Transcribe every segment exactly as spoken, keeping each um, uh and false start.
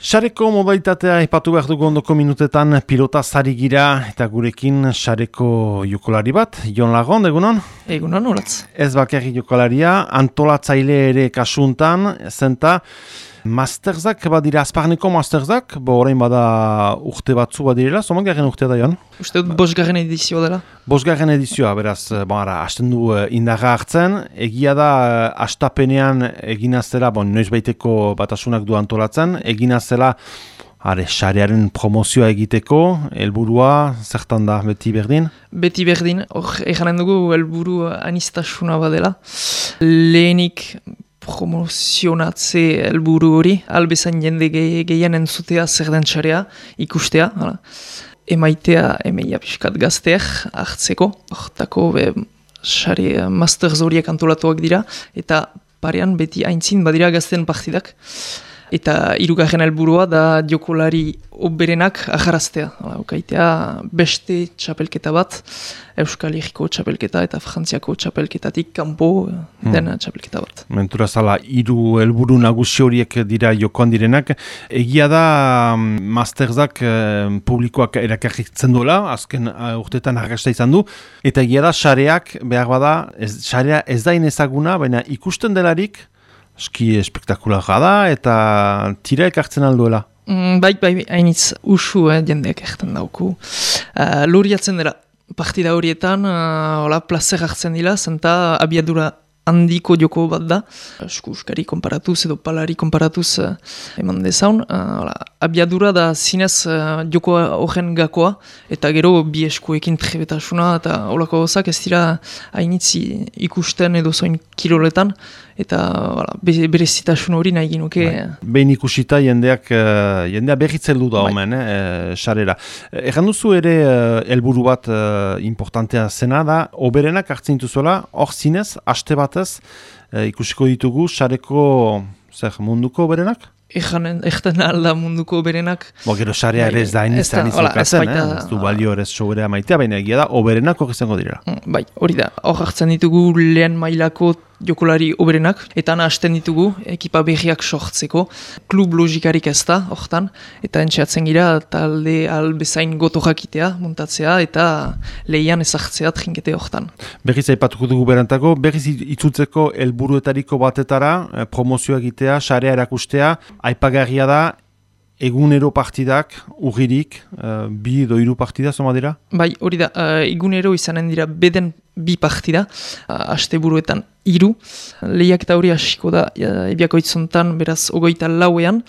Sareko modalitatea ipatu behar dugu ondoko minutetan pilota zari gira eta gurekin sareko jokolari bat, Jon Lagon, egunon? Egunon, horatz. Ez bakarri jokalaria, antolatzaile ere kasuntan, zenta masterzak badira, azparneko masterzak, bo orain bada urte batzu badirela, zomak garen urtea da, Jon? Uste dut bosgarren edizio dela? Bosgarren edizioa, beraz, bon, ara, hasten du uh, indarra hartzen, egia da uh, astapenean eginazela, bon, noiz baiteko batasunak du antolatzen, eginazela, are, sarearen promozioa egiteko, helburua zertan da, beti berdin? Beti berdin, hor, eganen dugu helburu anistasuna badela. Lehenik promozionatze helburu hori, albezan jende ge gehien entzutea zer den sarea, ikustea, hala. Emaitea emeia pixkat gazteak hartzeko, hortako sare masters horiek antolatuak dira, eta parean beti aintzin badira gazten partidak. Eta hirugarren helburua da jokolari oberenak ajaraztea. Ukaitea beste txapelketa bat, Euskal Herriko txapelketa eta Frantziako txapelketatik kanpo den hmm. txapelketa bat. Mentura zala, hiru helburu nagusi horiek dira jokoan direnak. Egia da masterzak eh, publikoak erakarritzen duela, azken uh, urtetan argasta izan du, eta egia da sareak behar bada, ez, sarea ez da inezaguna, baina ikusten delarik, eski espektakularra da eta tira ekartzen alduela. Mm, bai, bai, hainitz usu eh, jendeak erten dauku. Uh, Luriatzen dira partida horietan, uh, hola, plazer hartzen dira, zenta abiadura handiko joko bat da. Eskuskari konparatuz edo palari konparatuz uh, eman dezaun. Uh, hola, abiadura da zinez uh, joko horren gakoa, eta gero bi eskuekin trebetasuna, eta holako gozak ez dira hainitzi ikusten edo zoin kiroletan, eta voilà, berezitasun hori nahi ginuke. Behin ikusita jendeak, uh, jendea berritzen du da omen, eh, sarera. Egan duzu ere helburu uh, bat uh, importantea zena da, oberenak hartzen dituzuela, hor zinez, aste batez, uh, ikusiko ditugu, sareko zer, munduko oberenak? Eganen, egten alda munduko berenak. Bo, gero sarea ere ez da inizan izukatzen, eh? Ez du balio ere sobera maitea, baina egia da, oberenak hori izango direla. Bai, hori da, hor hartzen ditugu lehen mailako jokolari oberenak, eta hasten ditugu ekipa berriak sortzeko, klub logikarik ez da, hortan, eta entxeatzen gira talde albezain goto jakitea, muntatzea, eta lehian ezartzea trinkete hortan. Berriz aipatuko dugu berantako, berriz itzutzeko helburuetariko batetara, promozioa egitea, sarea erakustea, aipagarria da, egunero partidak, urririk, uh, bi edo hiru partida, zoma dira? Bai, hori da, uh, egunero izanen dira beden bi partida, uh, asteburuetan hiru, lehiak eta hori hasiko da, uh, ebiako itzontan, beraz, ogoita lauean,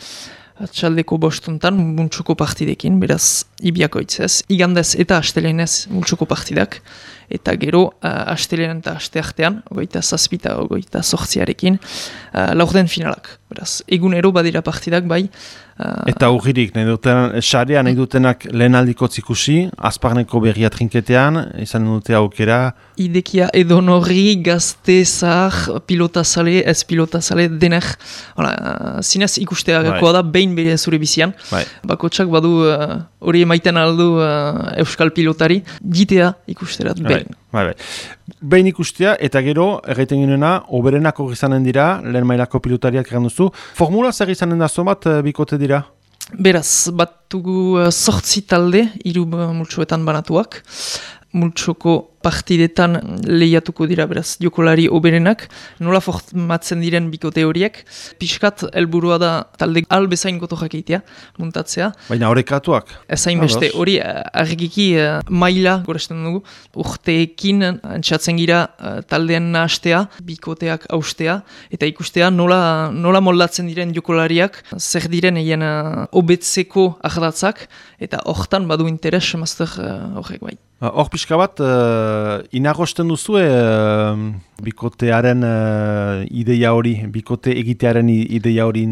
txaldeko bostuntan, multsuko partidekin, beraz, ibiako itzez, igandez eta astelenez multsuko partidak, eta gero, uh, astelen eta asteartean, ogoita zazpita, ogoita sortziarekin, uh, laurden finalak. Beraz, egunero badira partidak, bai. Uh, eta urririk, nahi duten, sarea nahi dutenak lehen aldiko ikusi, azparneko berria trinketean, izan dute aukera. Idekia edonori, gazte, zahar, pilotazale, ez pilotazale, dener, uh, zinez ikusteagakoa da, behin bere zure bizian. Bai. Bakotsak badu hori uh, emaiten aldu uh, euskal pilotari, gitea ikusterat behin. Bai, bai. Behin ikustea, eta gero, erraiten ginena, oberenak hori izanen dira, lehen mailako pilotariak egan duzu. Formula zer izanen da zomat bikote dira? Beraz, batugu uh, sortzi talde, hiru multsuetan banatuak. Multsoko partidetan lehiatuko dira, beraz, jokolari oberenak. Nola formatzen diren bikote horiek. Piskat, helburua da talde albezain goto jakeitea, muntatzea. Baina horrekatuak? Ezain beste, hori argiki uh, maila, goresten dugu, urteekin antxatzen gira uh, taldean nahastea, bikoteak austea, eta ikustea nola, nola moldatzen diren jokolariak, zer diren egin uh, obetzeko ahdatzak, eta hortan badu interes, master uh, horrek bai. Hor pixka bat, uh, inagosten duzu uh, bikotearen uh, ideia hori, bikote egitearen ideia hori,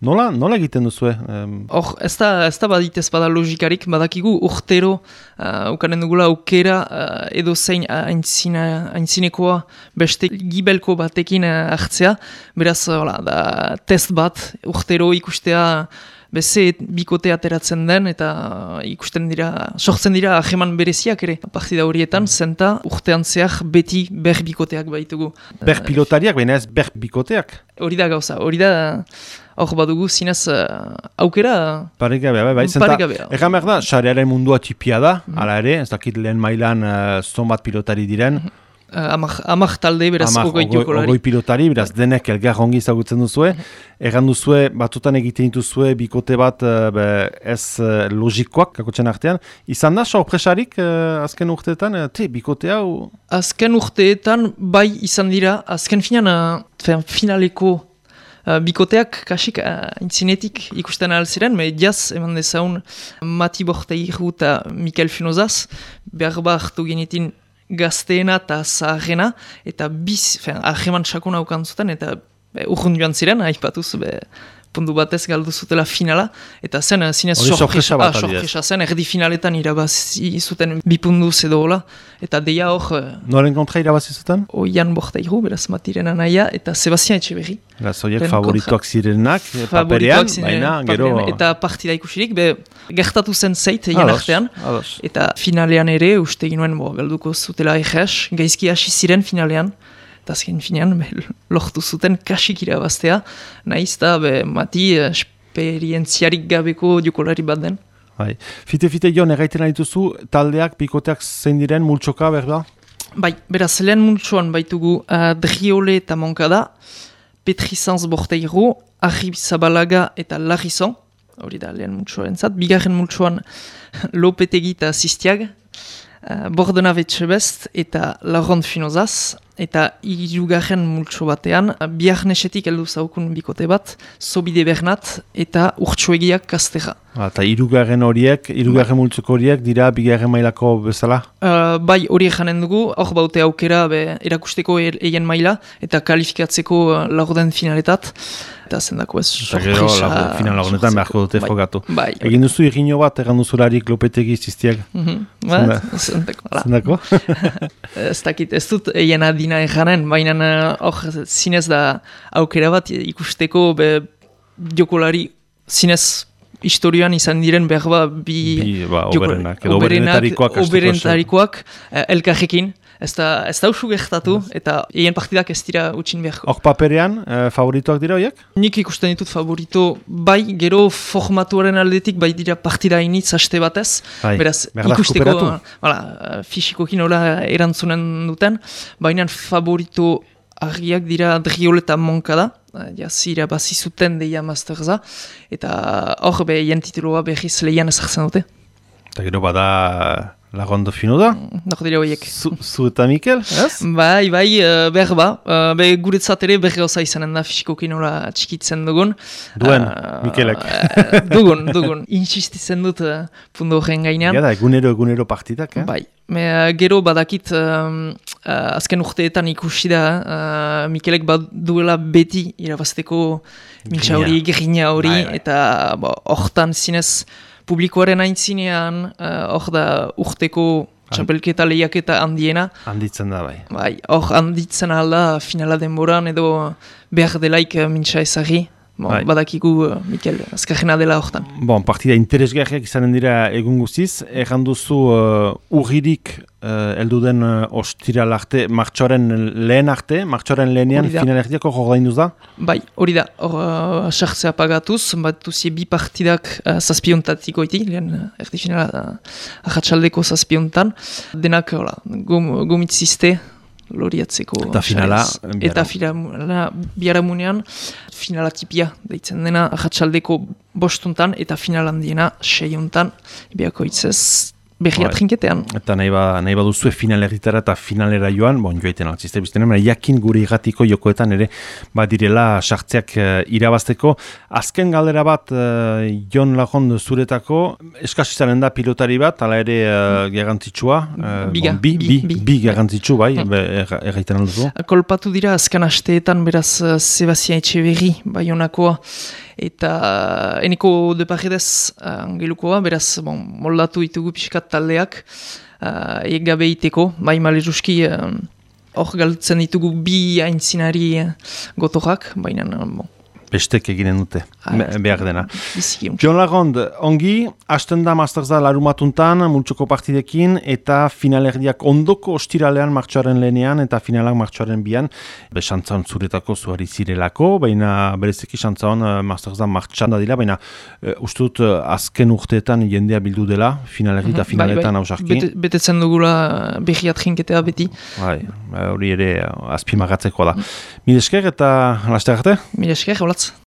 nola, nola egiten duzu? Hor, um... ez da, ez da baditez bada logikarik, badakigu urtero, uh, ukanen dugula aukera, uh, edo zein aintzinekoa beste gibelko batekin uh, hartzea, beraz, hola, da, test bat, urtero ikustea, beze bikote ateratzen den eta ikusten dira, sortzen dira aheman bereziak ere. Partida horietan, zenta urtean zehar beti ber bikoteak baitugu. Ber pilotariak, baina ez ber bikoteak? Hori da gauza, hori da hor badugu zinez uh, aukera Paregabea, bai, bai. paregabea. Egan behar da, sarearen mundua txipia da, mm -hmm. ala ere, ez dakit lehen mailan uh, zonbat pilotari diren. Mm -hmm. Uh, amak, amak talde, beraz, Amak, ogoi jokolari. Ogoi pilotari, beraz, denek elgar ongi izagutzen duzue. Mm -hmm. Egan duzue, batutan egiten dituzue, bikote bat uh, be, ez uh, logikoak, kakotxen artean. Izan da, sorpresarik uh, azken urteetan, uh, te, bikote hau? Azken urteetan, bai izan dira, azken finan, uh, finaleko Uh, bikoteak kasik uh, intzinetik ikusten alziren, me jaz eman dezaun Mati Borteiru eta Mikel Finozaz, behar ba hartu genetin gazteena eta zaharrena, eta biz, fen, ahreman sakona ukan zuten, eta urrun joan ziren, haipatuz, be, puntu batez galdu zutela finala, eta zen, zinez sorpresa ah, sorpresa zen, erdi finaletan irabazi zuten bipunduz edo hola, eta deia hor... Noren kontra irabazi zuten? Oian Borteiru, beraz Matiren anaia, eta Sebastian Etxeberri. Zoiek favorituak zirenak, paperean, baina, gero... Eta partida ikusirik, be, gertatu zen zeit egin artean, eta finalean ere, uste ginoen, bo, galduko zutela egez, gaizki hasi ziren finalean, eta azken finean, be, lortu zuten kasik irabaztea, nahiz eta Mati esperientziarik gabeko jokolari bat den. Bai. Fite-fite joan, erraiten dituzu, taldeak, bikoteak zein diren, multsoka, berda? Bai, beraz, lehen multsoan baitugu uh, Driole eta Moncada, Petrizanz Borteiru, Arrib Zabalaga eta Larrizon, hori da lehen multsoaren zat, bigarren multsoan Lopetegi eta Zistiag, uh, Bordena Betxebest eta Laurent Finozaz, eta hirugarren multso batean, biharnesetik heldu zaukun bikote bat, Zobide Bernat eta Urtsuegiak Kastera. Eta hirugarren horiek, hirugarren multzoko horiek dira bigarren mailako bezala? Uh, bai, horiek janen dugu, hor baute aukera be, erakusteko egen maila, eta kalifikatzeko uh, laurden finaletat, eta zendako ez sorpresa. Eta gero, final laurdenetan beharko dute bai, frogatu. Bai, egin duzu irriño bat, egan duzularik Lopetegi Zistiak? Mm -hmm. Zendako. Zendako? Ez dakit, ez dut egen adina eganen, baina hor uh, zinez da aukera bat ikusteko be, jokolari zinez historioan izan diren behar ba, bi, bi ba, oberenak, edo oberenetarikoak, oberenetarikoak eh, elkarrekin, ez da, ez da usu gertatu, eta egin partidak ez dira utxin beharko. Hor paperean, eh, favoritoak dira horiek? Nik ikusten ditut favorito, bai, gero formatuaren aldetik, bai dira partida initz haste batez, bai, beraz, ikusteko, wala, fisikokin hola erantzunen duten, baina favorito argiak dira Driole eta Moncada, jazira bazi zuten deia Masterza, eta hor be jen tituloa behiz lehian ezartzen dute. Eta gero bada Lagondo Fino da? Nor dira horiek. Zu, zu eta Mikel, ez? Bai, bai, uh, behar ba. Uh, be guretzat ere berri osa izanen da fisikokin hola txikitzen dugun. Duen, uh, Mikelek. uh, dugun, dugun. Insistitzen dut uh, pundu horren gainean. Gara, egunero, egunero partidak, eh? Bai. Me, uh, gero badakit um, uh, azken urteetan ikusi da uh, Mikelek bad duela beti irabazteko mintza hori, grina hori, bai, bai. Eta hortan zinez publikoaren aintzinean hor uh, da urteko txapelketa lehiaketa handiena. Handitzen da, bai. Bai, hor handitzen alda finala denboran edo behar delaik uh, mintza ezagri. Bon, bai. Badakigu uh, Mikel, azkarrena dela hortan. Bon, partida interesgarriak izanen dira egun guziz. Egan duzu uh, urririk uh, eldu den uh, ostiral arte, martxoren lehen arte, martxoren lehenean finalerdiako jordainduz da? Bai, hori da. Hor uh, sartzea pagatuz, bat duzie bi partidak uh, zazpiontatik oiti, lehen uh, erdi finala uh, ahatsaldeko zazpiontan. Denak, hola, gom, gomitzizte, loriatzeko eta finala eta finala biharamunean finala tipia deitzen dena ahatsaldeko bostuntan eta final handiena seiuntan biako hitzez berria trinketean. Eta nahi, ba, nahi baduzue finalerritara eta finalera joan, bon, joaiten altzizte biztenen, jakin gure irratiko jokoetan ere badirela sartzeak uh, irabazteko. Azken galdera bat, uh, Jon Lagond zuretako, eskasizaren da pilotari bat, ala ere uh, garrantzitsua. Uh, Biga, bon, bi, bi, bi, bi garrantzitsu, bai, mm. erraiten alduzu. Kolpatu dira, azken asteetan beraz uh, Sebastian Etxeberri, bai honakoa, eta eneko de paredez uh, angelukoa, beraz, bon, moldatu ditugu pixkat taldeak, uh, egabe iteko, bai maleruski, hor uh, galtzen ditugu bi aintzinari uh, gotorak, baina, uh, bon. bestek eginen dute, Ah, behar dena. biziki untsa. Jon Lagond, ongi, hasten da Masterza larumatuntan, multsoko partidekin, eta finalerdiak ondoko ostiralean martxoaren lehenean, eta finalak martxoaren bian, be xantzaon zuretako zuari zirelako, baina bereziki xantzaon Masterza martxan da dira, baina uh, uste dut uh, azken urteetan jendea bildu dela, finalerdi eta Mhm, finaletan bai, hausarki. bai. Bete, betetzen dugula behiat jinketea beti. Bai, hori ere uh, azpimagatzeko da. Mil esker eta laster arte? Mila esker, holatz.